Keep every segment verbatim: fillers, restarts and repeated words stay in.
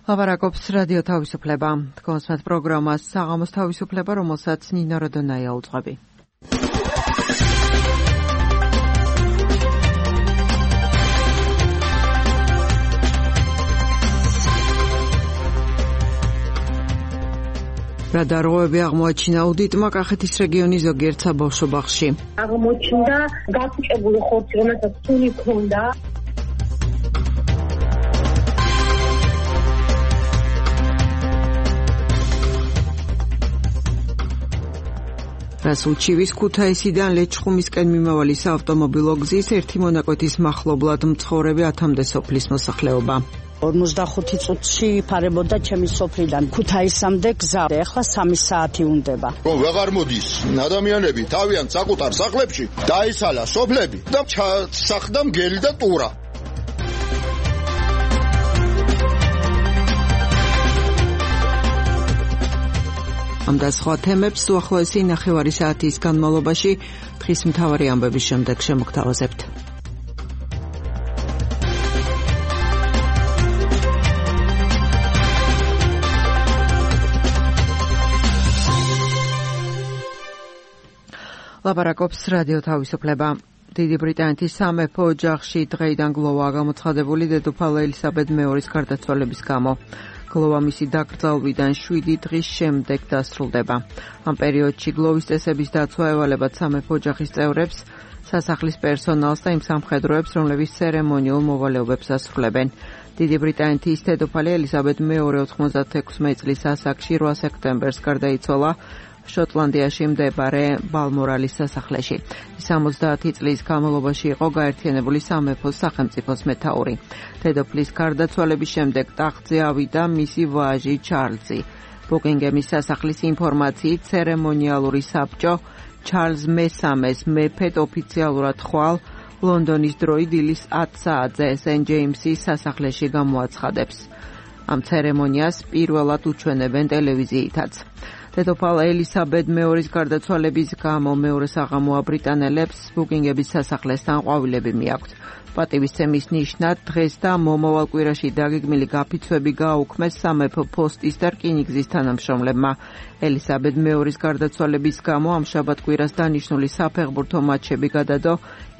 ლაპარაკობს რადიო თავისუფლება. თქვენს პროგრამას საღამოს თავისუფლება, რომელსაც ნინო როდონაია უძღვები. რა დარღვევები აღმოაჩინა აუდიტმა კახეთის რეგიონის ზოგიერთ საბავშვო ბაღში. აღმოჩნდა გაფუჭებული ხორცი, რომელსაც სული ჰქონდა. რასულჩივის ქუთაისიდან ლეჩხუმისკენ მიმავალი საავტომობილო გზის ერთი მონაკვეთის მახლობლად მცხოვრები ათამდე სოფლის მოსახლეობა. ორმოცდახუთი წუთში იფარებოდა ჩემი სოფლიდან ქუთაისამდე გზა. ეხლა სამი საათი უნდება. რომ ვეღარ მოდის ადამიანები თავიანთ საკუთარ სახლებში დაისალა სოფლები და ჩასახდა მგელი და ტურა. ამ და სხვა თემებს უახლოესი ნახევარი საათის განმავლობაში დღის მთავარი ამბების შემდეგ შემოგთავაზებთ. ლაპარაკობს რადიო თავისუფლება. დიდი ბრიტანეთის სამეფო ოჯახში დღეიდან გლოვაა გამოცხადებული დედოფალ ელისაბედ მეორის გარდაცვალების გამო. გლოვა მისი დაკრძალვიდან შვიდი დღის შემდეგ დასრულდება. ამ პერიოდში გლოვის წესების დაცვა ევალებათ სამეფო ოჯახის წევრებს, სასახლის პერსონალს და იმ სამხედროებს, რომლებიც ცერემონიულ მოვალეობებს ასრულებენ. დიდი ბრიტანეთის დედოფალი ელისაბედ მეორე ოთხმოცდაექვსი წლის ასაკში რვა სექტემბერს გარდაიცვალა შოტლანდიაში მდებარე ბალმორალის სასახლეში. სამოცდაათი წლის განმავლობაში იყო გაერთიანებული სამეფოს სახელმწიფოს მეთაური. დედოფლის გარდაცვალების შემდეგ ტახტზე ავიდა მისი ვაჟი ჩარლზი. ბუკინგემის სასახლის ინფორმაციით ცერემონიალური საბჭო ჩარლზ მესამეს მეფედ ოფიციალურად ხვალ ლონდონის დროით დილის ათ საათზე სენ ჯეიმსის სასახლეში გამოაცხადებს. ამ ცერემონიას პირველად უჩვენებენ ტელევიზიითაც. დედოფალ ელისაბედ მეორის გარდაცვალების გამო მეორე საღამო აბრიტანელებს ბუკინგების სასახლესთან ყვავილები მიაქვთ. პატივისცემის ნიშნად დღეს და მომავალ კვირაში დაგეგმილი გაფიცვები გააუქმეს სამეფო ფოსტის და რკინიგზის თანამშრომლებმა. ელისაბედ მეორის გარდაცვალების გამო ამ შაბათ კვირას დანიშნული საფეხბურთო მატჩები გადადო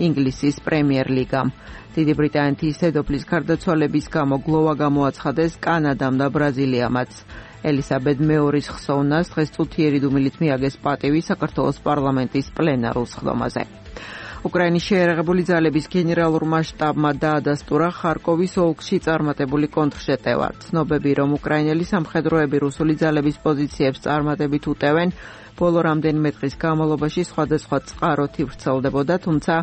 ინგლისის პრემიერ ლიგამ. დიდი ბრიტანეთის დედოფლის გარდაცვალების გამო გლოვა გამოაცხადეს კანადამ და ბრაზილიამაც. ელისაბედ მეორის ხსოვნას დღეს წუთიერი დუმილით მიაგეს პატივი საქართველოს პარლამენტის პლენარულ სხდომაზე. უკრაინის შეერაღებული ძალების გენერალურმა შტაბმა დაადასტურა ხარკოვის ოლქში წარმატებული კონტრშეტევა. ცნობები, რომ უკრაინელი სამხედროები რუსული ძალების პოზიციებს წარმატებით უტევენ, ბოლო რამდენიმე დღის განმავლობაში სხვადასხვა წყაროთი ვრცელდებოდა, თუმცა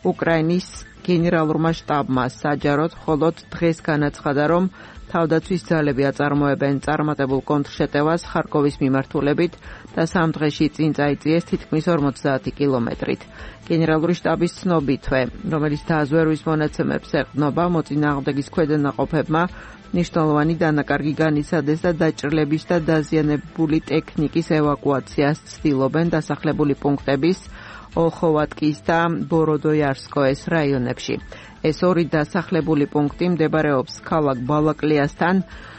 უკრაინის გენერალურმა შტაბმა საჯაროდ მხოლოდ დღეს განაცხადა, რომ თავდაცვის ძალები აწარმოებენ წარმატებულ კონტრშეტევას ხარკოვის მიმართულებით და სამ დღეში წინ წაიწიეს თითქმის ორმოცდაათი კილომეტრით. გენერალური შტაბის ცნობითვე, რომელიც დაზვერვის მონაცემებს ეყრდნობა, მოწინააღმდეგის ქვედანაყოფებმა მნიშვნელოვანი დანაკარგი განიცადეს და დაჭრილების და დაზიანებული ტექნიკის ევაკუაციას ცდილობენ დასახლებული პუნქტების ოლხოვატკის და ბოროდოიარსკოეს რაიონებში. ეს ორი დასახლებული პუნქტი მდებარეობს ქალაქ ბალაკლიასთან,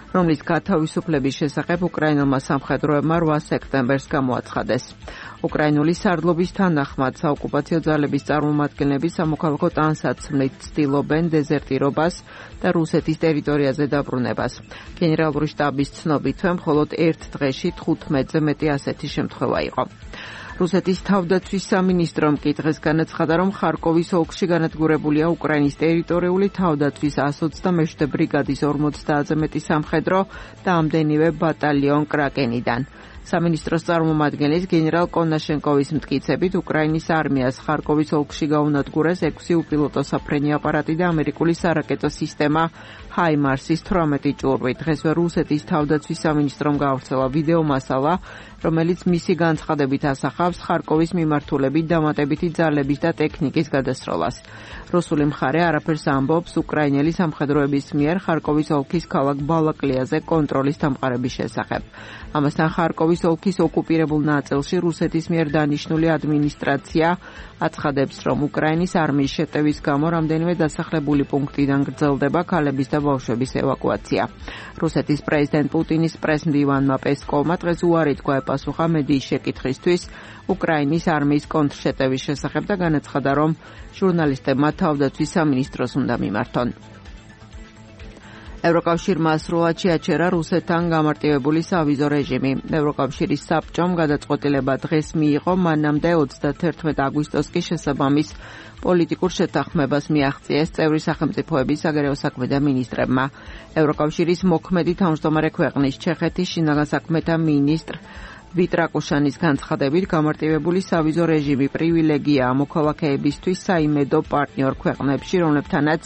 რომლის გათავისუფლების შესახებ უკრაინულმა სამხედროებმა რვა სექტემბერს გამოაცხადეს. უკრაინული სარდლობის თანახმად საოკუპაციო ძალების წარმომადგენლები სამოქალაქო ტანსაცმლით ცდილობენ დეზერტირობას და რუსეთის ტერიტორიაზე დაბრუნებას. გენერალური შტაბის ცნობითვე მხოლოდ ერთ დღეში თხუთმეტზე მეტი ასეთი შემთხვევა იყო. რუსეთის თავდაცვის სამინისტრომ კი დღეს განაცხადა, რომ ხარკოვის ოლქში განადგურებულია უკრაინის ტერიტორიული თავდაცვის ასი ოცდამეშვიდე ბრიგადის ორმოცდაათზე მეტი სამხედრო და ამდენივე ბატალიონ კრაკენიდან. სამინისტროს წარმომადგენლის გენერალ კონაშენკოვის მტკიცებით უკრაინის არმიას ხარკოვის ოლქში გაუნადგურეს ექვსი უპილოტო საფრენი აპარატი და ამერიკული სარაკეტო სისტემა ჰაიმარსის თვრამეტი ჭურვი. დღესვე რუსეთის თავდაცვის სამინისტრომ გაავრცელა ვიდეო მასალა, რომელიც მისი განცხადებით ასახავს ხარკოვის მიმართულებით დამატებითი ძალების და ტექნიკის გადასროლას. რუსული მხარე არაფერს ამბობს უკრაინელი სამხედროების მიერ ხარკოვის ოლქის ქალაქ ბალაკლიაზე კონტროლის დამყარების შესახებ. ამასთან ხარკოვის ოლქის ოკუპირებულ ნაწილში რუსეთის მიერ დანიშნული ადმინისტრაცია აცხადებს, რომ უკრაინის არმიის შეტევის გამო რამდენიმე დასახლებული პუნქტიდან გრძელდება ქალების და ბავშვების ევაკუაცია. რუსეთის პრეზიდენტ პუტინის პრესმდივანმა პესკოვმა დღეს უარი თქვა ეპასუხა მედიის შეკითხვისთვის უკრაინის არმიის კონტრშეტევის შესახებ და განაცხადა, რომ ჟურნალისტებმა თავდაცვის სამინისტროს უნდა მიმართონ. ევროკავშირმა სრულად შეაჩერა რუსეთთან გამარტივებული სავიზო რეჟიმი. ევროკავშირის საბჭომ გადაწყვეტილება დღეს მიიღო, მანამდე ოცდათერთმეტ აგვისტოს კი შესაბამის პოლიტიკურ შეთანხმებას მიაღწიეს წევრი სახელმწიფოების საგარეო საქმეთა მინისტრებმა. ევროკავშირის მოქმედი თავმჯდომარე ქვეყნის ჩეხეთის შინაგან საქმეთა მინისტრ ვიტრაკუშანის განცხადებით გამარტივებული სავიზო რეჟიმი პრივილეგიაა მოქალაქეებისთვის საიმედო პარტნიორ ქვეყნებში, რომლებთანაც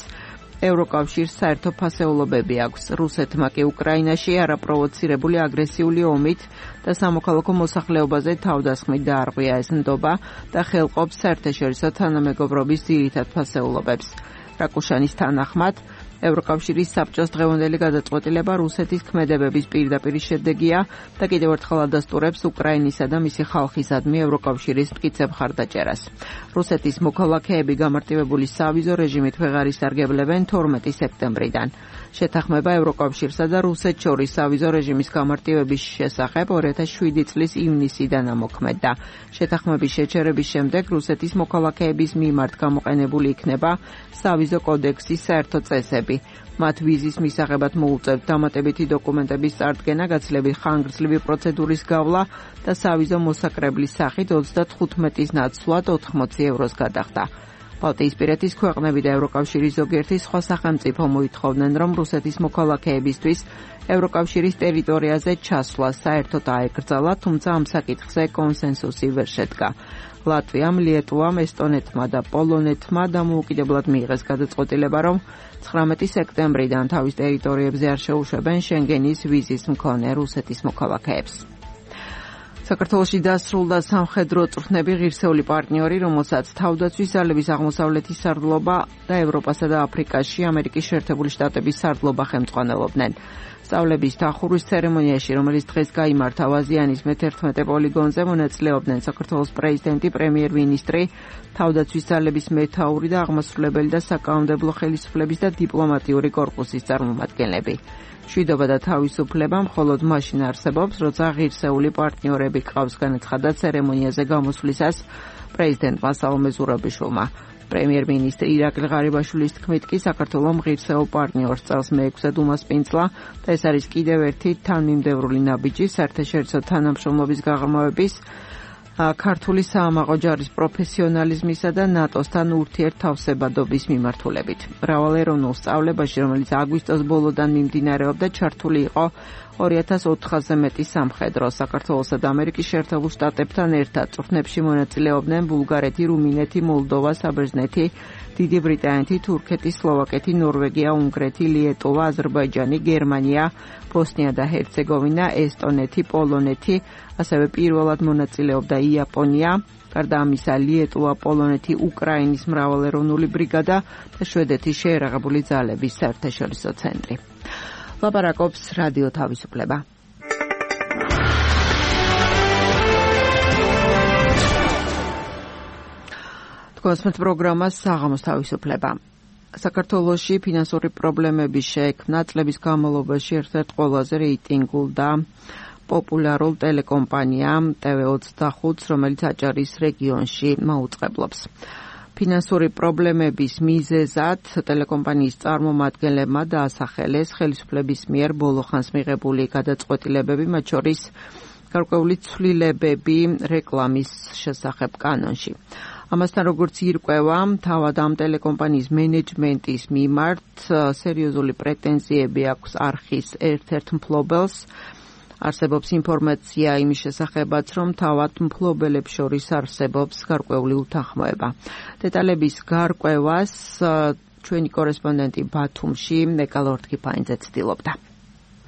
ევროკავშირს საერთო ფასეულობები აქვს. რუსეთმა კი უკრაინაში არაპროვოცირებული აგრესიული ომით და სამოქალაქო მოსახლეობაზე თავდასხმით დაარღვია ეს ნდობა და ხელყოფს საერთაშორისო თანამეგობრობის ძირითად ფასეულობებს. რაკუშანის თანახმად, ევროკავშირის საბჭოს დღევანდელი გადაწყვეტილება რუსეთის ქმედებების პირდაპირ შედეგია და კიდევ ერთხელ ადასტურებს უკრაინისა და მისი ხალხისადმი ევროკავშირის მტკიცე მხარდაჭერას. რუსეთის მოქალაქეები გამარტივებული სავიზო რეჟიმით ვეღარ ისარგებლებენ თორმეტი სექტემბრიდან. შეთანხმება ევროკავშირსა და რუსეთს შორის სავიზო რეჟიმის გამარტივების შესახებ ორი ათას შვიდი წლის ივნისიდან ამოქმედდა. შეთანხმების შეჩერების შემდეგ რუსეთის მოქალაქეების მიმართ გამოყენებული იქნება სავიზო კოდექსის საერთო წესები. მათ ვიზის მისაღებად მოუწევთ დამატებითი დოკუმენტების წარდგენა, გაცილებით ხანგრძლივი პროცედურის გავლა და სავიზო მოსაკრებლის სახით ოცდათხუთმეტის ნაცვლად ოთხმოცი ევროს გადახდა. ბალტიისპირეთის ქვეყნები და ევროკავშირის ზოგიერთი სხვა სახელმწიფო მოითხოვდნენ, რომ რუსეთის მოქალაქეებისთვის ევროკავშირის ტერიტორიაზე ჩასვლა საერთოდ აეკრძალა, თუმცა ამ საკითხზე კონსენსუსი ვერ შედგა. ლატვიამ, ლიეტუვამ, ესტონეთმა და პოლონეთმა დამოუკიდებლად მიიღეს გადაწყვეტილება, რომ ცხრამეტი სექტემბრიდან თავის ტერიტორიებზე არ შეუშვებენ შენგენის ვიზის მქონე რუსეთის მოქალაქეებს. საქართველოში დასრულდა სამხედრო წვრთნები ღირსეული პარტნიორი, რომელსაც თავდაცვის ძალების აღმოსავლეთის სარდლობა და ევროპასა და აფრიკაში ამერიკის შეერთებული შტატების სარდლობა ხელმძღვანელობდნენ. სწავლების დახურვის ცერემონიაში, რომელიც დღეს გაიმართა ვაზიანის მეთერთმეტე პოლიგონზე, მონაწილეობდნენ საქართველოს პრეზიდენტი, პრემიერ-მინისტრი, თავდაცვის ძალების მეთაური და აღმასრულებელი და საკანონმდებლო ხელისუფლების და დიპლომატიური კორპუსის წარმომადგენლები. მშვიდობა და თავისუფლება მხოლოდ მაშინ არსებობს, როცა ღირსეული პარტნიორები გყავს, განაცხადა ცერემონიაზე გამოსვლისას პრეზიდენტმა სალომე ზურაბიშვილმა. პრემიერ-მინისტრი ირაკლი ღარიბაშვილის თქმით კი საქართველოს ღირსეულ პარტნიორს წელს მეექვსედ უმასპინძლა და ეს არის კიდევ ერთი თანმიმდევრული ნაბიჯი საერთაშორისო თანამშრომლობის გაღრმავების, ქართული საამაყო ჯარის პროფესიონალიზმისა და ნატოსთან ურთიერთთავსებადობის მიმართულებით. მრავალეროვნულ სწავლებაში, რომელიც აგვისტოს ბოლოდან მიმდინარეობდა, ჩართული იყო ორი ათას ოთხასზე მეტი სამხედრო. საქართველოსა და ამერიკის შეერთებულ შტატებთან ერთად წვრთნებში მონაწილეობდნენ ბულგარეთი, რუმინეთი, მოლდოვა, საბერძნეთი, დიდი ბრიტანეთი, თურქეთი, სლოვაკეთი, ნორვეგია, უნგრეთი, ლიეტუვა, აზერბაიჯანი, გერმანია, ბოსნია და ჰერცეგოვინა, ესტონეთი, პოლონეთი, ასევე პირველად მონაწილეობდა იაპონია, გარდა ამისა ლიეტუვა, პოლონეთი, უკრაინის მრავალეროვნული ბრიგადა და შვედეთის შეერაღებული ძალების საერთაშორისო ცენტრი. ლაპარაკობს რადიო თავისუფლება. თქვენს პროგრამას საღამოს თავისუფლება. საქართველოში ფინანსური პრობლემების შექმნა წლების განმავლობაში ერთ-ერთ ყველაზე რეიტინგულ და პოპულარულ ტელეკომპანიამ ტე ვე ოცდახუთს, რომელიც აჭარის რეგიონში მაუწყებლობს. ფინანსური პრობლემების მიზეზად ტელეკომპანიის წარმომადგენლებმა დაასახელეს ხელისუფლების მიერ ბოლოხანს მიღებული გადაწყვეტილებები, მათ შორის გარკვეული ცვლილებები რეკლამის შესახებ კანონში. ამასთან, როგორც ირკვევა, თავად ამ ტელეკომპანიის მენეჯმენტის მიმართ სერიოზული პრეტენზიები აქვს არხის ერთ-ერთ მფლობელს. არსებობს ინფორმაცია იმის შესახებაც, რომ თავად მფლობელებს შორის არსებობს გარკვეული უთანხმოება. დეტალების გარკვევას ჩვენი კორესპონდენტი ბათუმში ნეკა ლორთქიფანიძე ცდილობდა.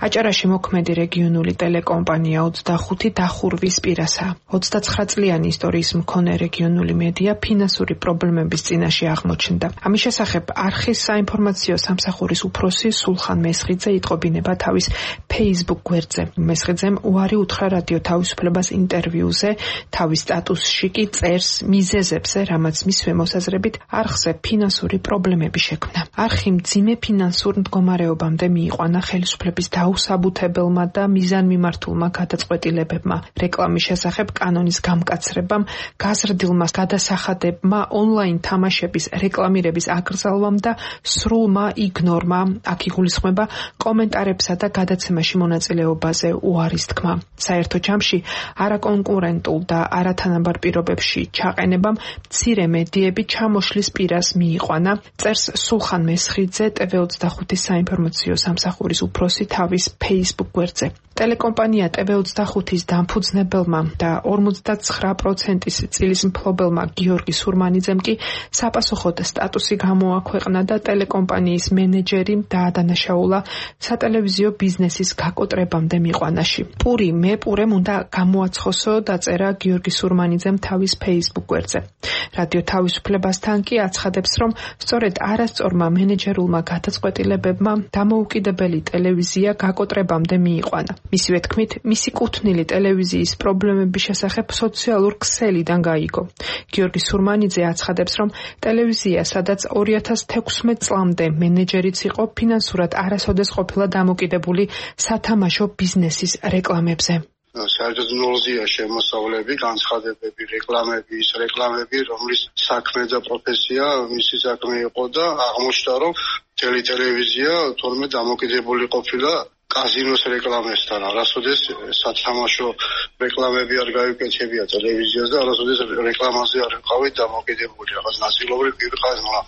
აჭარაში მოქმედი რეგიონული ტელეკომპანია ოცდახუთი დახურვის პირასაა. ოცდაცხრა წლიანი ისტორიის მქონე რეგიონული მედია ფინანსური პრობლემების წინაშე აღმოჩნდა. ამის შესახებ არხის საინფორმაციო სამსახურის უფროსი სულხან მესხიძე იტყობინება თავის Facebook გვერდზე. მესხიძემ უარი უთხრა რადიო თავისუფლებას ინტერვიუზე, თავის სტატუსში კი წერს მიზეზებზე, რამაც მისვე მოსაზრებით არხზე ფინანსური პრობლემები შექმნა. არხი მძიმე ფინანსურ მდგომარეობამდე მიიყვანა ხელისუფლების დაუსაბუთებელმა და მიზანმიმართულმა გადაწყვეტილებებმა, რეკლამის შესახებ კანონის გამკაცრებამ, გაზრდილმა გადასახადებმა, ონლაინ თამაშების რეკლამირების აკრძალვამ და სრულმა იგნორმა, აქ იგულისხმება კომენტარებსა და გადაცემაში მონაწილეობაზე უარის თქმა. საერთო ჯამში არაკონკურენტულ და არათანაბარ პირობებში ჩაყენებამ მცირე მედიები ჩამოშლის პირას მიიყვანა, წერს სულხან მესხიძე ტევ ოცდახუთის საინფორმაციო სამსახურის უფროსი თავის Facebook გვერდზე. ტელეკომპანია ტევ ოცდახუთის დამფუძნებელმა და ორმოცდაცხრა პროცენტის წილის მფლობელმა გიორგი სურმანიძემ კი საპასუხოდ სტატუსი გამოაქვეყნა და ტელეკომპანიის მენეჯერი დაადანაშაულა სატელევიზიო ბიზნესის გაკოტრებამდე მიყვანაში. პური მე პურემ უნდა გამოაცხოსო, დაწერა გიორგი სურმანიძემ თავის Facebook გვერდზე. რადიო თავისუფლებასთან კი აცხადებს, რომ სწორედ არასწორმა მენეჯერულმა გადაწყვეტილებებმა დამოუკიდებელი ტელევიზია გაკოტრებამდე მიიყვანა. მისივე თქმით, მისი კუთვნილი ტელევიზიის პრობლემების შესახებ სოციალურ ქსელიდან გაიგო. გიორგი სურმანიძე აცხადებს, რომ ტელევიზია, სადაც ორი ათას თექვსმეტ წლამდე მენეჯერიც იყო, ფინანსურად არასოდეს ყოფილა დამოკიდებული სათამაშო ბიზნესის რეკლამებზე. საერთოდ ნულზეა შემოსავლები, განცხადებები, რეკლამები, ის რეკლამები, რომლის საქმე და პროფესია მისი საქმე იყო და აღმოჩნდა, რომ თელი ტელევიზია თორმეტ დამოკიდებული ყოფილა კაზინოს რეკლამებთან. არასოდეს სათამაშო რეკლამები არ გაიკეთებია ტელევიზიას და არასოდეს რეკლამაზე არ ყავით დამოკიდებული. რაღაც ნაწილობრივ ვიყავით, მაგრამ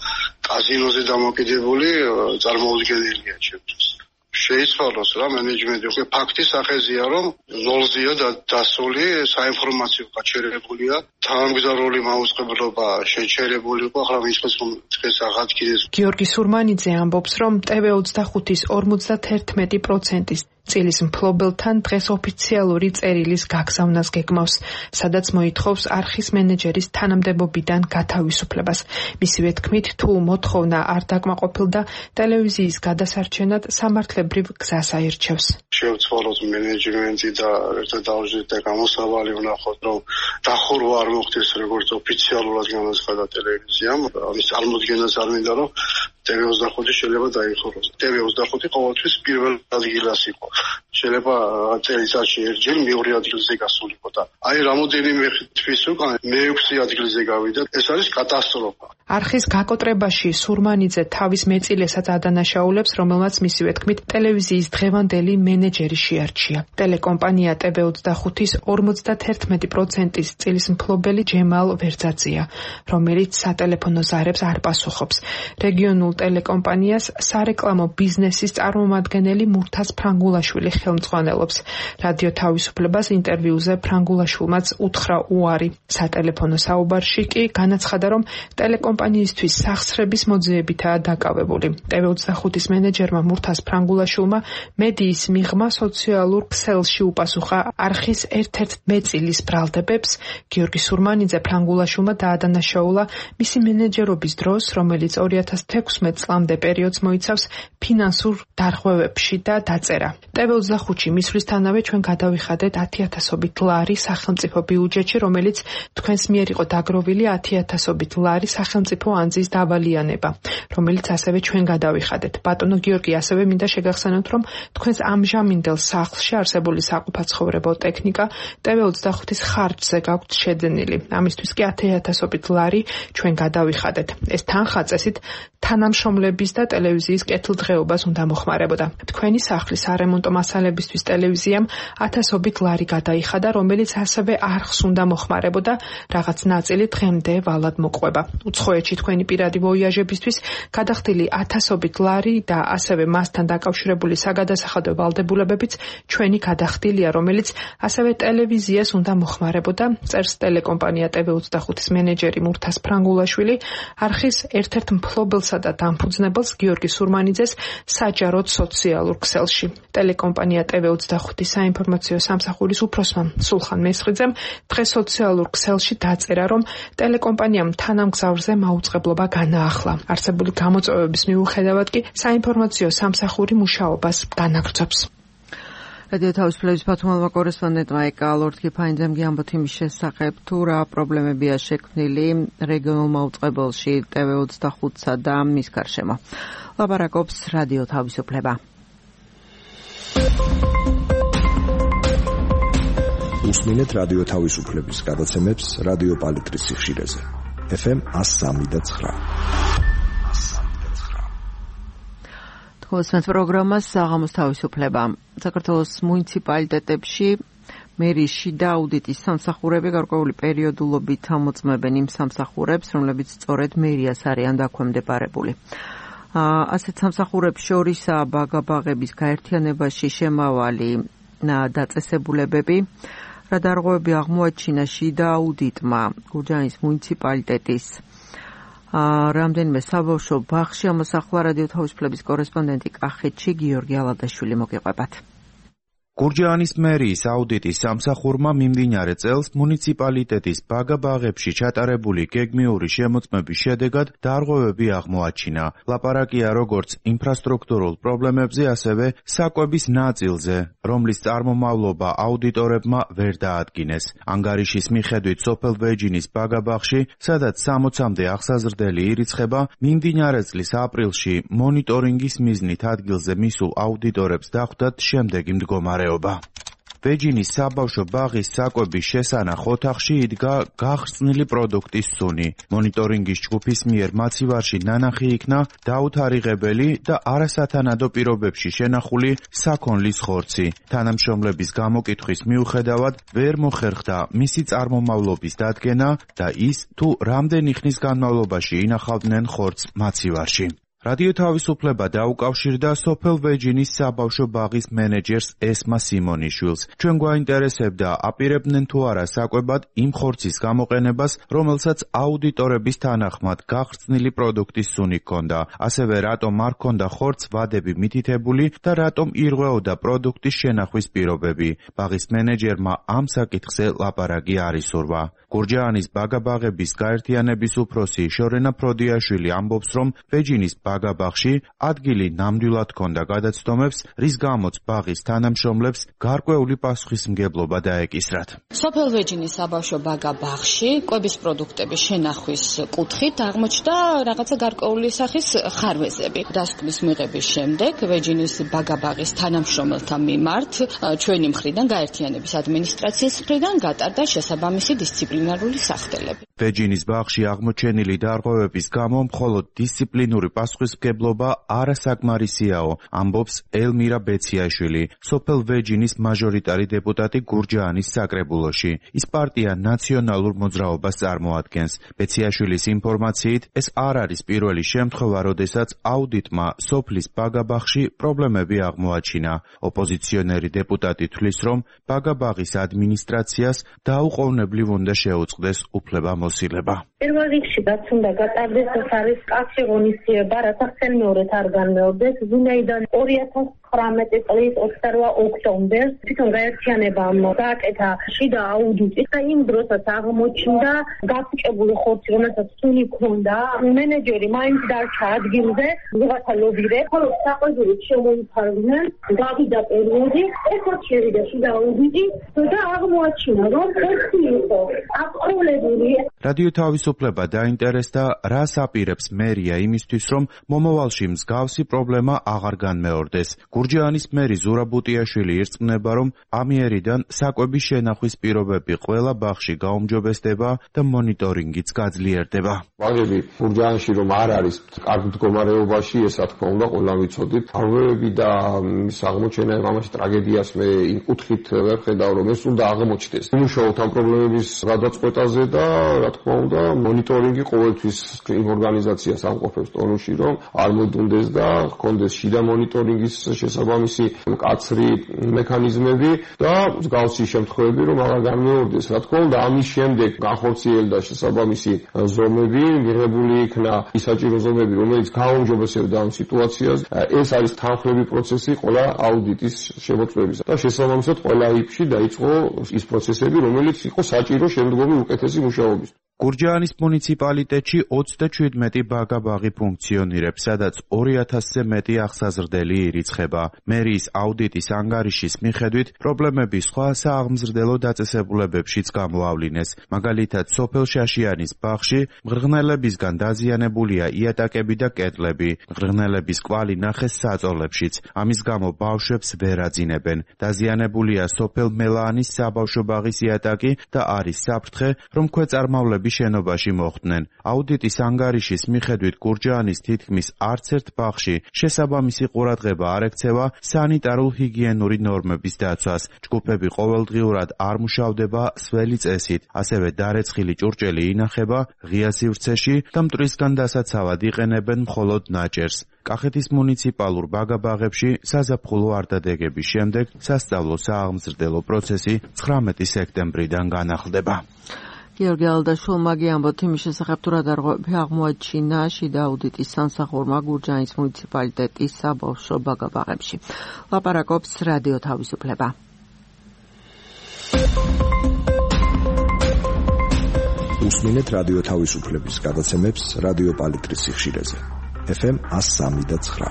კაზინოზე დამოკიდებული წარმოუდგენელია ჩემთვის. შეიცვალოს რა მენეჯმენტი უკვე ფაქტის სახეზია, რომ ნულზეა და დასული საინფორმაციო გაჩერებულია, თანამგზავრული მაუწყებლობა შეჩერებული იყო, ახლა მისთვის რომ დღეს აღადგინეს. გიორგი სურმანიძე ამბობს, რომ ტევ ოცდახუთის ორმოცდაერთმეტი პროცენტის წილის მფლობელთან დღეს ოფიციალური წერილის გაგზავნას გეგმავს, სადაც მოითხოვს არხის მენეჯერის თანამდებობიდან გათავისუფლებას. მისივე თქმით, თუ მოთხოვნა არ დაკმაყოფილდა, ტელევიზიის გადასარჩენად სამართლებრივ გზას აირჩევს. შევცვალოთ მენეჯმენტი და ერთად დავждეთ და გამოსავალი ვნახოთ, რომ დახურვა არ მოხდეს, როგორც ოფიციალურად განაცხადა ტელევიზიამ. ამის წარმოდგენაც არ მინდა, რომ ტევ ოცდახუთი შეიძლება დაიხუროს. ტევ ოცდახუთი ყოველთვის პირველ ადგილას იყო. შეიძლება წელიწადში ერთხელ მეორე ადგილზე გასულიყო და აი რამოდენიმე თვის უკან მეექვსე ადგილზე გავიდა. ეს არის კატასტროფა. არხის გაკოტრებაში სურმანიძე თავის მეწილესაც ადანაშაულებს, რომელმაც მისივე თქმით ტელევიზიის დღევანდელი მენეჯერი შეარჩია. ტელეკომპანია ტევ ოცდახუთის ორმოცდაერთმეტი პროცენტის წილის მფლობელი ჯემალ ვერძაძეა, რომელიც სატელეფონო ზარებს არ პასუხობს. რეგიონულ ტელეკომპანიას სარეკლამო ბიზნესის წარმომადგენელი მურთაზ ფრანგულაშვილი ხელმძღვანელობს. რადიო თავისუფლებას ინტერვიუზე ფრანგულაშვილმაც უთხრა უარი. სატელეფონო საუბარში კი განაცხადა, რომ ტელეკომპანიისთვის სახსრების მოძიებითაა დაკავებული. ტევ ოცდახუთის მენეჯერმა მურთაზ ფრანგულაშვილმა მედიის მიღმა სოციალურ ქსელში უპასუხა არხის ერთ-ერთ მეწილის ბრალდებებს. გიორგი სურმანიძე ფრანგულაშვილმა დაადანაშაულა მისი მენეჯერობის დროს, რომელიც ორი ათას თექვსმეტ წლამდე პერიოდს მოიცავს ფინანსურ დარღვევებში და დაწერა. ტევ ოცდახუთში მისვლისთანავე ჩვენ გადავიხადეთ ათი ათასობით ლარი სახელმწიფო ბიუჯეტში, რომელიც თქვენს მიერ იყო დაგროვილი ათი ათასობით ლარი სახელმწიფო ანძის დავალიანება, რომელიც ასევე ჩვენ გადავიხადეთ. ბატონო გიორგი, ასევე მინდა შეგახსენოთ, რომ თქვენს ამჟამინდელ სახლში არსებული საყოფაცხოვრებო ტექნიკა ტევ ოცდახუთის ხარჯზე გაქვთ შეძენილი. ამისთვის კი ათი ათასობით ლარი ჩვენ გადავიხადეთ. ეს თანხა წესით თანამშრომლების და ტელევიზიის კეთილდღეობას უნდა მოხმარებოდა. თქვენი სახლის არემონტო მასალებისთვის ტელევიზიამ ათასობით ლარი გადაიხადა, რომელიც ასევე არხს უნდა მოხმარებოდა, რაღაც ნაწილი დღემდე ვალად მოყვება. უცხოეთში თქვენი პირადი ვოიაჟებისთვის გადახდილი ათასობით ლარი და ასევე მასთან დაკავშირებული საგადასახადო ვალდებულებებიც ჩვენი გადახდილია, რომელიც ასევე ტელევიზიას უნდა მოხმარებოდა, წერს ტელეკომპანია ტევ ოცდახუთის მენეჯერი მურთაზ ფრანგულაშვილი. არხის ერთ-ერთ მფლობელსა და დამფუძნებელს გიორგი სურმანიძეს საჯაროდ სოციალურ ქსელში. ტელეკომპანია ტევ ოცდახუთი საინფორმაციო სამსახურის უფროსმა სულხან მესხიძემ დღეს სოციალურ ქსელში დაწერა, რომ ტელეკომპანიამ თანამგზავრზე მაუწყებლობა განაახლა. არსებული გამოწვევების მიუხედავად კი საინფორმაციო სამსახური მუშაობას განაგრძობს. რადიო თავისუფლების ბათუმელმა კორესპონდენტმა ეკა ლორდ-კიფაინძემ გიამბოთ იმის შესახებ, თუ რა პრობლემებია შექმნილი რეგიონულ მაუწყებელში ტევ ოცდახუთსა და მის გარშემო. ლაპარაკობს რადიო თავისუფლება. უსმინეთ რადიო თავისუფლების გადაცემებს რადიო პალიტრის სიხშირეზე. ეფ ემ one oh three და nine. თხოვსმენთ პროგრამას საღამოს თავისუფლება. საქართველოს მუნიციპალიტეტებში მერის შიდა აუდიტის სამსახურები გარკვეული პერიოდულობით ამოწმებენ იმ სამსახურებს, რომლებიც სწორედ მერიას არიან დაქვემდებარებული. ასეთ სამსახურებს შორისაა ბაგაბაღების გაერთიანებაში შემავალი დაწესებულებები. რა დარღვევები აღმოაჩინა შიდა აუდიტმა გურჯაანის მუნიციპალიტეტის რამდენიმე საბავშვო ბაღში, ამასახლა რადიო თავისუფლების კორესპონდენტი კახეთში გიორგი ალადაშვილი, მოგიყვებათ. გურჯაანის მერიის აუდიტის სამსახურმა მიმდინარე წელს მუნიციპალიტეტის ბაგაბაღებში ჩატარებული გეგმიური შემოწმების შედეგად დარღვევები აღმოაჩინა. ლაპარაკია როგორც ინფრასტრუქტურულ პრობლემებზე, ასევე საკვების ნაწილზე, რომლის წარმომავლობა აუდიტორებმა ვერ დაადგინეს. ანგარიშის მიხედვით სოფელ ვეჯინის ბაგაბაღში, სადაც სამოცამდე აღსაზრდელი ირიცხება, მიმდინარე წლის ապრილში მონიტორინგის მიზნით ადგილზე მისულ აუდიტორებს დახვდათ შემდეგი მდგომარეობა. ვეჯინის საბავშვო ბაღის საკვების შესანახ ოთახში იდგა გახრწნილი პროდუქტის სუნი. მონიტორინგის ჯგუფის მიერ მაცივარში ნანახი იქნა დაუთარიღებელი და არასათანადო პირობებში შენახული საქონლის ხორცი. თანამშრომლების გამოკითხვის მიუხედავად ვერ მოხერხდა მისი წარმომავლობის დადგენა და ის, თუ რამდენი ხნის განმავლობაში ინახავდნენ ხორცს მაცივარში. რადიო თავისუფლება დაუკავშირდა სოფელ ვეჯინის საბავშვო ბაღის მენეჯერს ესმა სიმონიშვილს. ჩვენ გვაინტერესებდა, აპირებდნენ თუ არა საკვებად იმ ხორცის გამოყენებას, რომელსაც აუდიტორების თანახმად გახრწნილი პროდუქტის სუნი ჰქონდა. ასევე რატომ არ ჰქონდა ხორცს ვადები მითითებული და რატომ ირღვეოდა პროდუქტის შენახვის პირობები. ბაღის მენეჯერმა ამ საკითხზე ლაპარაკი არ ისურვა. გურჯაანის ბაგაბაღების გაერთიანების უფროსი შორენა ფროდიაშვილი ამბობს, რომ ვეჯინის ბაგაბაღში ადგილი ნამდვილად ჰქონდა გადაცდომებს, რის გამოც ბაღის თანამშრომლებს გარკვეული პასუხისმგებლობა დაეკისრათ. სოფელ ვეჯინის საბავშვო ბაგაბაღში კვების პროდუქტების შენახვის კუთხით აღმოჩნდა რაღაცა გარკვეული სახის ხარვეზები. დასკვნის მიღების შემდეგ ვეჯინის ბაგაბაღის თანამშრომელთა მიმართ ჩვენი მხრიდან გაერთიანების ადმინისტრაციის მხრიდან გატარდა შესაბამისი დისციპლინარული სახდელები. ვეჯინის ბაღში აღმოჩენილი დარღვევების გამო მხოლოდ დისციპლინური პასუხისმგებლობა არასაკმარისიაო, ამბობს ელმირა ბეციაშვილი, სოფელ ვეჯინის მაჟორიტარი დეპუტატი გურჯაანის საკრებულოში. ის პარტია ნაციონალურ მოძრაობას წარმოადგენს. ბეციაშვილის ინფორმაციით, ეს არ არის პირველი შემთხვევა, როდესაც აუდიტმა სოფლის ბაგაბაღში პრობლემები აღმოაჩინა. ოპოზიციონერი დეპუტატი თვლის, რომ ბაგაბაღის ადმინისტრაციას დაუყოვნებლივ უნდა შეუწყდეს უფლებამოსილება. პირველ რიგში რაც უნდა გატარდეს, ეს არის კავშირი ღონისძიება, რათა ხელმეორედ არ განმეორდეს. ვინაიდან ორი ათას ცხრამეტი წლის ოცდაოთხ ოქტომბერს თვითონ გაერთიანებამ გააკეთა შიდა აუდიტი და იმ დროსაც აღმოჩნდა გაფუჭებული ხორცი, რომელსაც სუნი ჰქონდა. მენეჯერი მაინც დარჩა ადგილზე, ვიღაცა ლობირებს, ხოლო საყვედურით შემოიფარგნენ, გავიდა პერიოდი, ეხლა შევიდა შიდა აუდიტი და აღმოაჩინა, რომ ხორცი იყო აპყროლებული. რადიო თავისუფლება დაინტერესდა, რას აპირებს მერია იმისთვის, რომ მომავალში მსგავსი პრობლემა აღარ განმეორდეს. გურჯაანის მერი ზურა ბუტიაშვილი ირწმუნება, რომ ამიერიდან საკვების შენახვის პირობები ყველა ბაღში გაუმჯობესდება და მონიტორინგიც გაძლიერდება. ბაღები გურჯაანში რომ არ არის კარგ მდგომარეობაში, ესა თქმა უნდა ყველა ვიცოდით. დარღვევები და მის აღმოჩენა ამაში ტრაგედიას მე იმ კუთხით ვერ ხედავ, რომ ეს უნდა აღმოჩნდეს. იმუშაოთ ამ პრობლემების გადაწყვეტაზე და რა თქმა უნდა მონიტორინგი ყოველთვის იმ ორგანიზაციას ამყოფებს ტონუსში, რომ არ მოდუნდეს და ჰქონდეს შიდა მონიტორინგის შესაბამისი მკაცრი მექანიზმები და მსგავსი შემთხვევები რომ აღარ განმეორდეს. რა თქმა უნდა, ამის შემდეგ განხორციელდა შესაბამისი ზომები, მიღებული იქნა ის საჭირო ზომები, რომელიც გააუმჯობესებდა ამ სიტუაციას. ეს არის თანხლები პროცესი ყველა აუდიტის შემოწმების და შესაბამისად ყველა იფში დაიწყო ის პროცესები, რომელიც იყო საჭირო შემდგომი უკეთესი მუშაობის. გურჯაანის მუნიციპალიტეტში ოცდაჩვიდმეტი ბაგა-ბაღი ფუნქციონირებს, სადაც ორი ათასზე მეტი აღსაზრდელი ირიცხება. მერიის აუდიტის ანგარიშის მიხედვით, პრობლემები სხვა სააღმზრდელო დაწესებულებებშიც გამოავლინეს. მაგალითად, სოფელ შაშიანის ბაღში მღრღნელებისგან დაზიანებულია იატაკები და კედლები. მღრღნელების კვალი ნახეს საწოლებშიც. ამის გამო ბავშვებს ვერ აძინებენ. დაზიანებულია სოფელ მელაანის საბავშვო ბაღის იატაკი და არის საფრთხე, რომ ქვეწარმავლები შენობაში მოხვდნენ. აუდიტის ანგარიშის მიხედვით გურჯაანის თითქმის არც ერთ ბაღში შესაბამისი ყურადღება არ ექცევა სანიტარულ-ჰიგიენური ნორმების დაცვას. ჯგუფები ყოველდღიურად არ მუშავდება სველი წესით, ასევე დარეცხილი ჭურჭელი ინახება ღია სივრცეში და მტვრისგან დასაცავად იყენებენ მხოლოდ ნაჭერს. კახეთის მუნიციპალურ ბაგა-ბაღებში საზაფხულო არდადეგების შემდეგ სასწავლო სააღმზრდელო პროცესი ცხრამეტი სექტემბრიდან განახლდება. გიორგი ალდაშვილმა გიამბოთ იმის შესახებ, თუ რა დარღვევები აღმოაჩინა შიდა აუდიტის სამსახურმა გურჯაანის მუნიციპალიტეტის საბავშვო ბაგა-ბაღებში. ლაპარაკობს რადიო თავისუფლება. უსმინეთ რადიო თავისუფლების გადაცემებს რადიო პალიტრის სიხშირეზე. ეფ ემ ას სამი და ცხრა.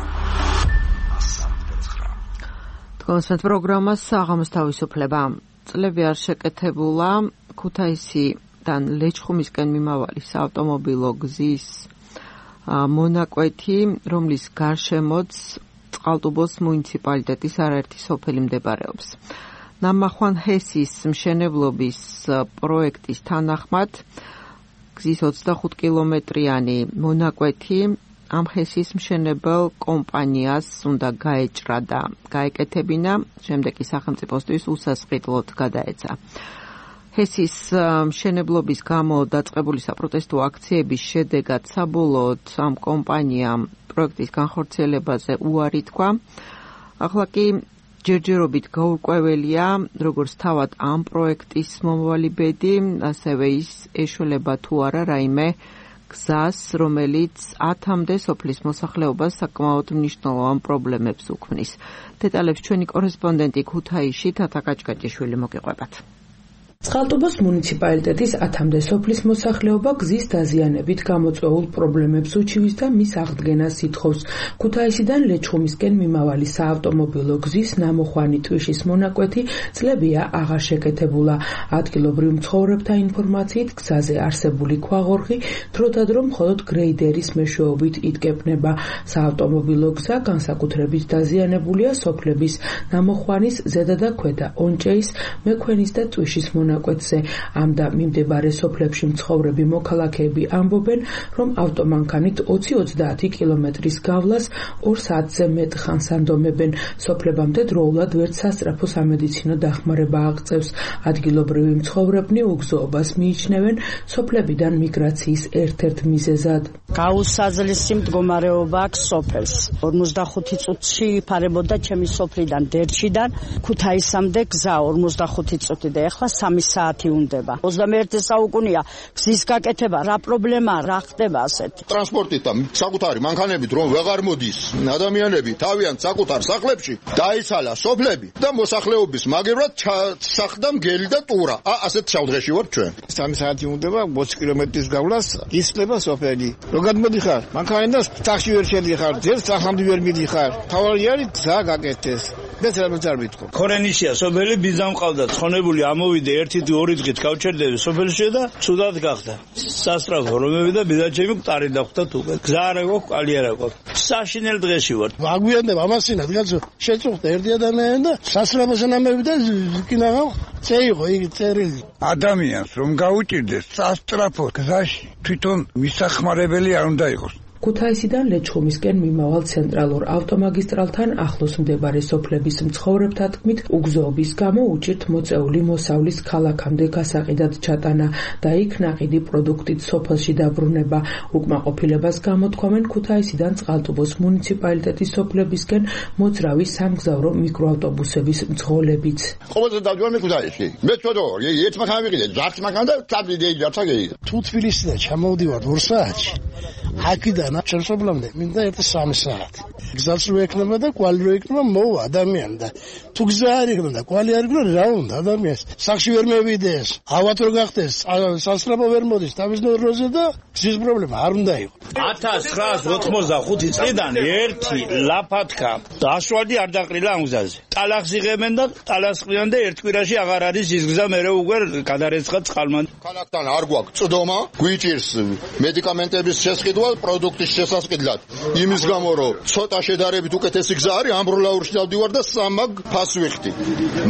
თქვენს პროგრამა საღამოს თავისუფლება. წლები არ შეკეთებულა ქუთაისი თან ლეჩხუმისკენ მიმავალი საავტომობილო გზის მონაკვეთი, რომლის გარშემოც წყალტუბოს მუნიციპალიტეტის არაერთი სოფელი მდებარეობს. ნამახვან ჰესის მშენებლობის პროექტის თანახმად გზის ოცდახუთ კილომეტრიანი მონაკვეთი ამ ჰესის მშენებელ კომპანიას უნდა გაეჭრა და გაეკეთებინა, შემდეგ კი სახელმწიფოსთვის უსასყიდლოდ გადაეცა. ჰესის მშენებლობის გამო დაწყებული საპროტესტო აქციების შედეგად საბოლოოდ ამ კომპანიამ პროექტის განხორციელებაზე უარი თქვა. ახლა კი ჯერჯერობით გაურკვეველია, როგორც თავად ამ პროექტის მომავალი ბედი, ასევე ის ეშველება თუ არა რაიმე გზას, რომელიც ათამდე სოფლის მოსახლეობას საკმაოდ მნიშვნელოვან პრობლემებს უქმნის. დეტალებს ჩვენი კორესპონდენტი ქუთაისში თათა კაჭკაჭიშვილი მოგიყვებათ. წყალტუბოს მუნიციპალიტეტის ათამდე სოფლის მოსახლეობა გზის დაზიანებით გამოწვეულ პრობლემებს უჩივის და მის აღდგენას ითხოვს. ქუთაისიდან ლეჩხუმისკენ მიმავალი საავტომობილო გზის ნამოხვანი ტვიშის მონაკვეთი წლებია აღარ შეკეთებულა. ადგილობრივ მცხოვრებთა ინფორმაციით გზაზე არსებული ქვაღორღი დროდადრო მხოლოდ გრეიდერის მეშვეობით იდგებნება. საავტომობილო გზა განსაკუთრებით დაზიანებულია სოფლების ნამოხვანის ზედა და ქვედაონჭეის, მექვენის და ტვიშის მონაკვეთში. ამ და მიმდებარე სოფლებში მცხოვრები მოქალაქეები ამბობენ, რომ ავტომანქანით ოცი ოცდაათი კილომეტრის გავლას ორ საათზე მეტ ხანს ანდომებენ. სოფლებამდე დროულად ვერც სასწრაფო სამედიცინო დახმარება აღწევს. ადგილობრივი მცხოვრებნი უგზოობას მიიჩნევენ სოფლებიდან მიგრაციის ერთ-ერთ მიზეზად. გაუსაზრისი მდგომარეობა აქვს სოფელს. ორმოცდახუთი წუთში იფარებოდა ჩემი სოფლიდან დერჩიდან ქუთაისამდე გზა ორმოცდახუთი წუთი და ეხლა სამი საათი უნდება. ოცდამეერთე საუკუნეა გზის გაკეთება, რა პრობლემაა, რა ხდება ასეთი. ტრანსპორტით და საკუთარი მანქანებით რომ ვეღარ მოდის ადამიანები თავიანთ საკუთარ სახლებში, დაიცალა სოფლები და მოსახლეობის მაგებრად ჩასახდა მგელი და ტურა. ასეთ შავდღეში ვართ ჩვენ. სამი საათი უნდება ოცი კილომეტრის გავლას, ისწრება სოფელი. რო გადმოდიხარ, მანქანიდან ტაქსი ვერ შედიხარ, ძერს სახამდე ვერ მიდიხარ. თავარი არის გზა გაკეთდეს. ეს რა მოწარბითქო. ქორენიშია სოფელი ბიზამ ყავდა, ცხონებული ამოვიდე ერთი ორი დღით გავჩერდები სოფელში და ცუდად გახდა. სასწრაფო რომები და ბიზაჩემი მყარი დახვდა თუ. გზა არ აქვს, კალი არ აქვს. საშინელ დღეში ვარ. აგვიანდება ამასინად, კაცო. შეწუხდა ერთი ადამიანი და სასწრაფო ნამები და კინაღა წეიღო იგი წერილი. ადამიანს რომ გაუჭირდეს სასწრაფო გზაში, თვითონ მისახმარებელი არ უნდა იყოს. ქუთაისიდან ლეჩხუმისკენ მიმავალ ცენტრალურ ავტომაგისტრალთან ახლოს მდებარე სოფლების მცხოვრებთა თქმით, უგზოობის გამო უჭირთ მოწეული მოსავლის ქალაქამდე გასაყიდად ჩატანა და იქ ნაყიდი პროდუქტით სოფელში დაბრუნება. უკმაყოფილებას გამოთქვამენ ქუთაისიდან წყალტუბოს მუნიციპალიტეტის სოფლებისკენ მოძრავი სამგზავრო მიკროავტობუსების მძღოლებიც. ყოველდღე დავდივარ ქუთაისში. მე ცოტა ერთ მანქანა ვიყიდე, ჯარც მანქანა და თაბლიდი ჯარცა გეიდა. თუ თბილისიდან ჩამოვდივარ ორ საათში, აქედან ჩერსობლამდე მინდა ერთი სამი საათი. გზაც რო ექნება და კვალი რო ექნება მოვა ადამიანი და თუ გზა არ იქნება და კვალი არ იქნება რა უნდა ადამიანს სახში ვერ მევიდეს, ავად რო გახდეს, სასწრაფო ვერ მოდის თავის ნოროზე და გზის პრობლემა არ უნდა იყოს. ათას ცხრაას ოცდახუთი წლიდან ერთი ლაფათქა დაშვალდი არ დაყრილა ამ გზაზე. ტალახს იღებენ და ტალახს ყრიან და ერთ კვირაში აღარ არის ის გზა მერე უკვე გადარეცხა წყალმან. ქალაქთან არ გვაქვს წდომა, გვიჭირს მედიკამენტების შესყიდვა პროდუქტის შესასყიდლად. იმის გამო რომ ცოტა შედარებით უკეთესი გზა არის, ამბროლაურში დავდივარ და სამაგ ფას ვიხდი.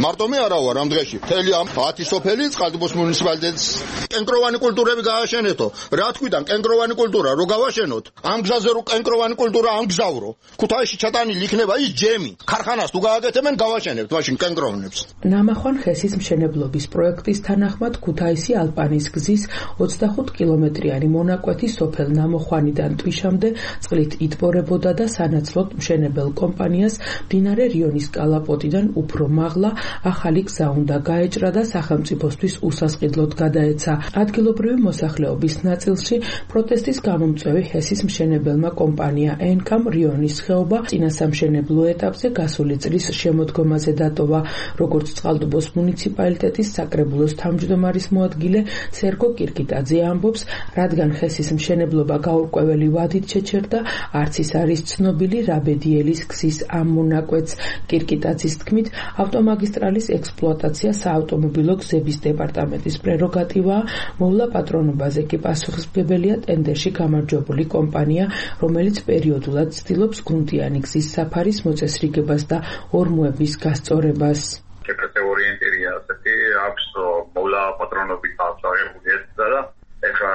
მარტო მე არა ვარ ამ დღეში. მთელი ამ ათი სოფელი წყალტუბოს მუნიციპალიტეტის კენკროვანი კულტურები გააშენეთო. რა თქიდან კენკროვანი კულტურა რო გავაშენოთ? ამ გზაზე რო კენკროვანი კულტურა ამგზავრო. ქუთაისში ჩატანილი იქნება ის ჯემი. ქარხანას თუ გააკეთებენ გავაშენებთ მაშინ კენკროვნებს. ნამახვან ხესის მშენებლობის პროექტის თანახმად ქუთაისი ალპანის გზის ოცდახუთ კილომეტრიანი მონაკვეთი სოფელ ნამოხვანიდან ტვიშამდე წყლით იტბორებოდა და სანაცვლოდ მშენებელ კომპანიას მდინარე რიონის კალაპოტიდან უფრო მაღლა ახალი გზა უნდა გაეჭრა და სახელმწიფოსთვის უსასყიდლოდ გადაეცა. ადგილობრივი მოსახლეობის ნაწილში პროტესტის გამომწვევი ჰესის მშენებელმა კომპანია ენკამ რიონის ხეობა წინასამშენებლო ეტაპზე გასული წლის შემოდგომაზე დატოვა. როგორც წყალტუბოს მუნიციპალიტეტის საკრებულოს თავმჯდომარის მოადგილე სერგო კირკიტაძე ამბობს, რადგან ჰესის მშენებლობა გაურკვეველი ვადით შეჩერდა, არც ის არის ცნობილი რაბედიელის გზის ამ მონაკვეთს. კირკიტაძის თქმით, ავტომაგისტრალის ექსპლუატაცია საავტომობილო გზების დეპარტამენტის პრეროგატივაა, მოვლა პატრონობაზე კი პასუხისმგებელია ტენდერში გამარჯვებული კომპანია, რომელიც პერიოდულად ცდილობს გუნდიანი გზის საფარის მოწესრიგებას და ორმოების გასწორებას. კატეგორიენტირია ასეთი აქვს მოვლა პატრონობით აღწევებული და ეხლა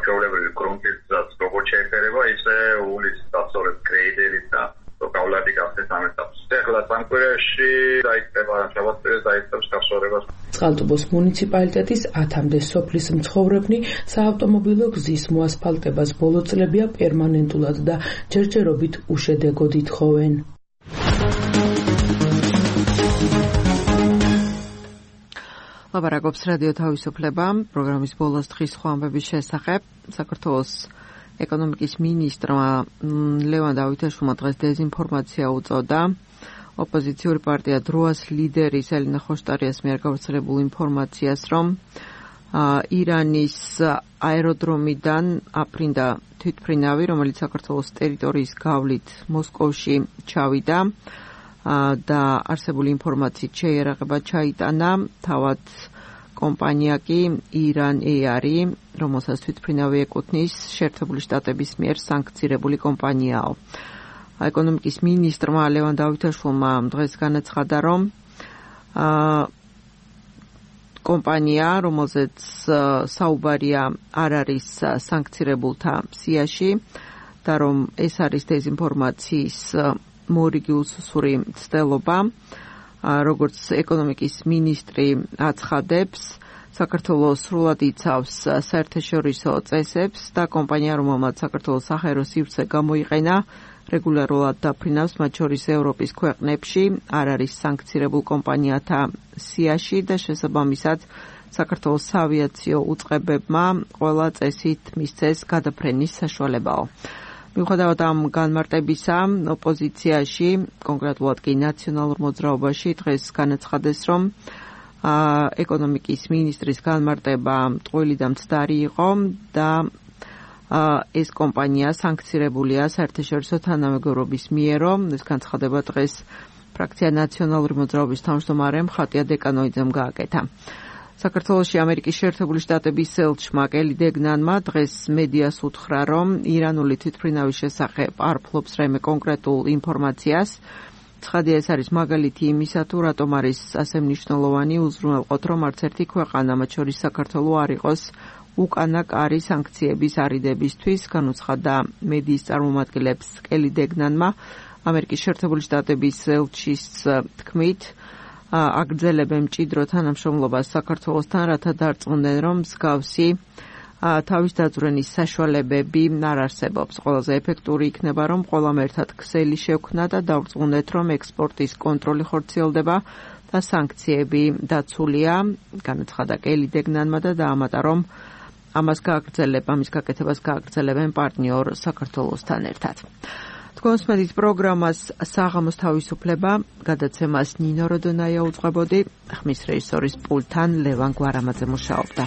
ჩვეულებრივი გრუნტისაც როგორც შეეფერება, ისე ულის დასწორებ გრეიდერით და გავლადი გახდეს ამ ეტაპს. ეხლა სამკვირეში დაიწყება შაბათს დაიწყებს გასწორებას. წყალტუბოს მუნიციპალიტეტის ათამდე სოფლის მცხოვრებნი საავტომობილო გზის მოასფალტებას ბოლო წლებია პერმანენტულად და ჯერჯერობით უშედეგოდ ითხოვენ. ლაპარაკობს რადიო თავისუფლება პროგრამის ბოლოს დღის სხვა ამბების შესახებ. საქართველოს ეკონომიკის მინისტრმა ლევან დავითაშვილმა დღეს დეზინფორმაცია უწოდა. ოპოზიციური პარტია დროას ლიდერის ელინა ხოშტარიას მიერ გავრცელებულ ინფორმაციას, რომ ირანის აეროდრომიდან აფრინდა თვითმფრინავი, რომელიც საქართველოს ტერიტორიის გავლით მოსკოვში ჩავიდა და არსებული ინფორმაციით შეიარაღება ჩაიტანა. თავად კომპანია კი ირან ეარი, რომელსაც თვითმფრინავი ეკუთვნის, შეერთებული შტატების მიერ სანქცირებული კომპანიაო. ეკონომიკის მინისტრმა ლევან დავითაშვილმა დღეს განაცხადა, რომ კომპანია, რომელზეც საუბარია არ არის სანქცირებულთა სიაში და რომ ეს არის დეზინფორმაციის მორიგი უსუსური მცდელობა. როგორც ეკონომიკის მინისტრი აცხადებს, საქართველოს სრულად იცავს საერთაშორისო წესებს და კომპანია, რომელმაც საქართველოს საჰაერო სივრცე გამოიყენა, რეგულარულად დაფრინავს, მათ შორის ევროპის ქვეყნებში, არ არის სანქცირებულ კომპანიათა სიაში და შესაბამისად საქართველოს საავიაციო უწყებებმა ყველა წესით მისცეს გადაფრენის საშუალებაო. მიუხედავად ამ განმარტებისა, ოპოზიციაში, კონკრეტულად კი ნაციონალურ მოძრაობაში დღეს განაცხადეს, რომ ეკონომიკის მინისტრის განმარტება ტყუილი და მცდარი იყო და ეს კომპანია სანქცირებულია საერთაშორისო თანამეგობრობის მიერო. ეს განცხადება დღეს ფრაქცია ნაციონალური მოძრაობის თავმჯდომარემ ხატია დეკანოიძემ გააკეთა. საქართველოში ამერიკის შეერთებული შტატების ელჩმა კელი დეგნანმა დღეს მედიას უთხრა, რომ ირანული თვითმფრინავის შესახებ არ ფლობს რაიმე კონკრეტულ ინფორმაციას. ცხადია, ეს არის მაგალითი იმისა, თუ რატომ არის ასე მნიშვნელოვანი უზრუნველყოთ, რომ არც ერთი ქვეყანა, მათ შორის საქართველო, არ იყოს უკანა კარი სანქციების არიდებისთვის, განუცხადა მედიის წარმომადგენლებს კელი დეგნანმა. ამერიკის შეერთებული შტატების ელჩის თქმით, აგრძელებენ მჭიდრო თანამშრომლობას საქართველოსთან, რათა დარწმუნდნენ, რომ მსგავსი თავის დაძვრენის საშუალებები არ არსებობს. ყველაზე ეფექტური იქნება, რომ ყველამ ერთად ქსელი შევქმნა და დავრწმუნდეთ, რომ ექსპორტის კონტროლი ხორციელდება და სანქციები დაცულია, განაცხადა კელი დეგნანმა და დაამატა, რომ ამას გააგრძელებ, ამის გაკეთებას გააგრძელებენ პარტნიორ საქართველოსთან ერთად. თქვენს მედიის პროგრამას საღამოს თავისუფლება გადაცემას ნინო როდონაია უძღვებოდი, ხმის რეჟისორის პულტთან ლევან გვარამაძე მუშაობდა.